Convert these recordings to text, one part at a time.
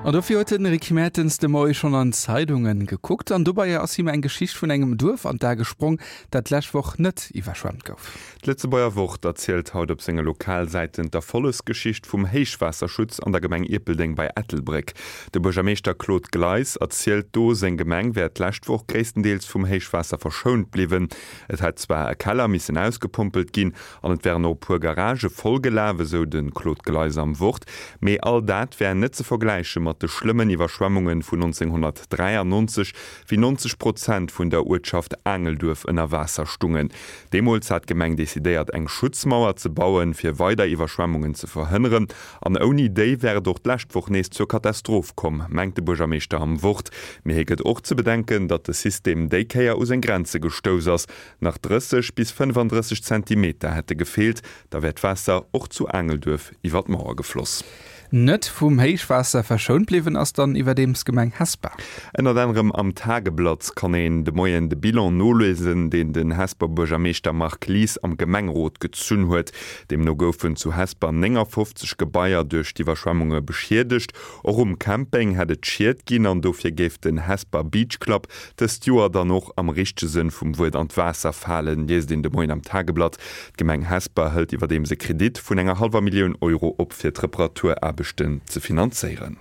An dofir huet den Rick Mertens de Moie schonn an d'Zeidungen gekuckt an dobei ass him eng Geschicht vun engem Duerf an d'A gesprong, dat d'lescht Woch net iwwerschwemmt gouf. D'Lëtzebuerger Wort erzielt haut op senge Lokalsäiten d'Erfollegsgeschicht vum Héichwaasserschutz an der Gemeng Ierpeldeng bei Ettelbréck. De Buergermeeschter Claude Gleis erzielt do, seng Gemeng wär d'lescht Woch gréisstendeels vum Héichwaasser verschount bliwwen. Et hätt zwar e Keller missen ausgepompelt ginn An et wären och e puer Garagë vollgelaf, esou de Claude Gleis am Wort. Mee all dat wär net ze vergläiche mat de schlëmmen Iwwerschwemmunge vun 1993, wéi 90 Prozent vun der Uertschaft Aangelduerf ënner Waasser stungen. Deemools hat d'Gemeng decidéiert, eng Schutzmauer ze bauen, fir weider Iwwerschwemmungen ze verhënneren. An ouni déi wär et och d'lescht Woch nees zur Katastroph komm, mengt de Buergermeeschter am Wort. Mee hie gëtt och ze bedenken, datt de System déi Kéier u seng Grenze gestouss ass. Nach 30 bis 35 Zentimeter hätte gefeelt, da wär d'Waasser och zu Aangelduerf iwwer d'Mauer gefloss. Net vum Héichwaasser verschount bliwwen ass dann iwwerdeems d'Gemeng Hesper. Ënnert anerem am Tageblatt kann een de Moien de Bilan noliesen, deen den Hesper Buergermeeschter Marc Lies am Gemengerot gezunn huet. Deemno goufen zu Hesper 59 Gebaier duerch d'Iwwerschwemmunge beschiedegt. Och um Camping hätt et Schied ginn an dofir géif den Hesper Beach Club dëst Joer dann och am richtege Sënn vum Wuert an d'Waasser falen, liest een de Moien am Tageblatt. D'Gemeng Hesper hëlt iwwerdeems e Kredit vun enger hallwer Millioun Euro op fir d'Reparaturaarbechten ze finanzéieren.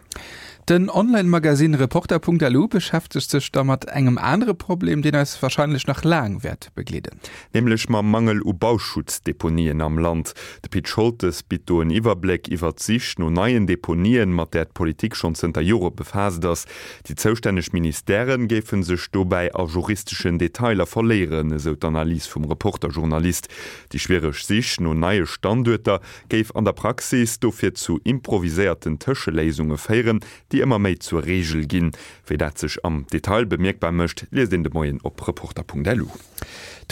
Den Online-Magasinn Reporter.lu beschäftegt sech da mat engem anere Problem, deen eis warscheinlech nach laang wäert begleeden. Nämlech mam Mangel u Bauschuttdeponien am Land. De Pit Scholtes bitt do en Iwwerbléck iwwer d'Sich no neien Deponien, mat där d'Politik schonn zënter Jore befaasst ass. Déi zoustänneg Ministèrë géife sech dobäi a juristeschen Detailer verléieren, esou d'Analys vum Reporter-Journalist. Déi schwiereg Sich no neie Standuerter géif an der Praxis dofir zu improviséierten Tëscheléisunge féieren, déi ëmmer méi zur Reegel ginn. Wéi dat sech am Detail bemierkbar mécht, liest een de Moien op Reporter.lu.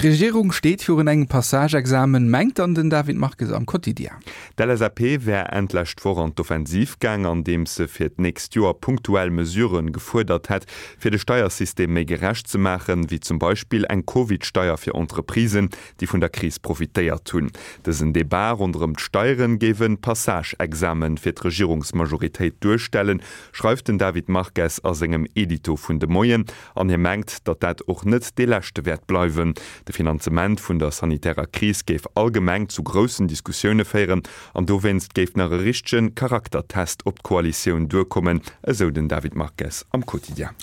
D'Regierung steet virun engem Passage-Examen, mengt dann den David Marques am Quotidien. D'LSAP wär Enn d'lescht Woch an d'Offensiv gaang, andeems se fir d'nächst Joer punktuell Mesurë gefuerdert hätt, fir de Steiersystem méi gerecht ze maachen, wéi zum Beispill eng Covid-Steier fir Entreprisen, déi vun der Kris profitéiert hunn. Dësen Debat ronderëm d'Steiere géif e Passage-Examen fir d'Regierungsmajoritéit duerstellen, schreift den David Marques a sengem Edito vun de Moien. An hie mengt, datt dat och net dee leschte wäert bleiwen. De Finanzement vun der sanitärer Kris géif allgemeng zu groussen Diskussioune féieren an dowéinst géif nach e richtege Charaktertest op d'Koalitioun duerkommen, esou den David Marques am Quotidien.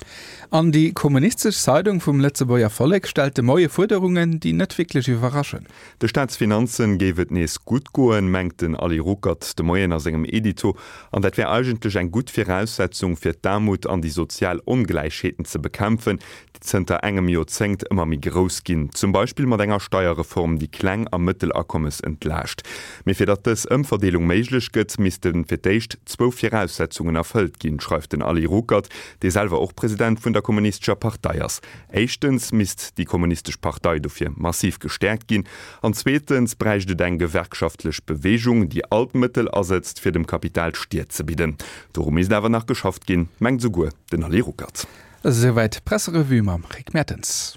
An déi kommunistesch Zeidung vum Lëtzebuerger Vollek stellt de Moie Fuerderungen, déi net wierklech iwwerraschen. De Staatsfinanzen géif et nees gutt goen, mengt den Ali Ruckert de Moien a sengem Edito. An dat wär eigentlech eng gutt Viraussetzung, fir d'Aarmut an déi sozial Ongläichheeten ze bekämpfen, déi zënter engem Joerzéngt ëmmer méi grouss ginn. Zum Beispill mat enger Steierreform, déi Kleng a Mëttelakommes entlaascht. Mee fir datt dës Ëmverdeelung méiglech gëtt, misste fir d'éischt zwou Viraussetzungen erfëllt ginn, schreift den Ali Ruckert, dee selwer och President vun der Kommunistescher Partei ass. Éischtens misst déi Kommunistesch Partei dofir massiv gestäerkt ginn an zweetens bräicht et eng gewerkschaftlech Beweegung, déi all d'Mëttel asëtzt, fir dem Kapital d'Stier ze bidden. Doru misst awer nach geschafft ginn, mengt esouguer den Ali Ruckert. Esouwäit d'Presserevue mam Rick Mertens.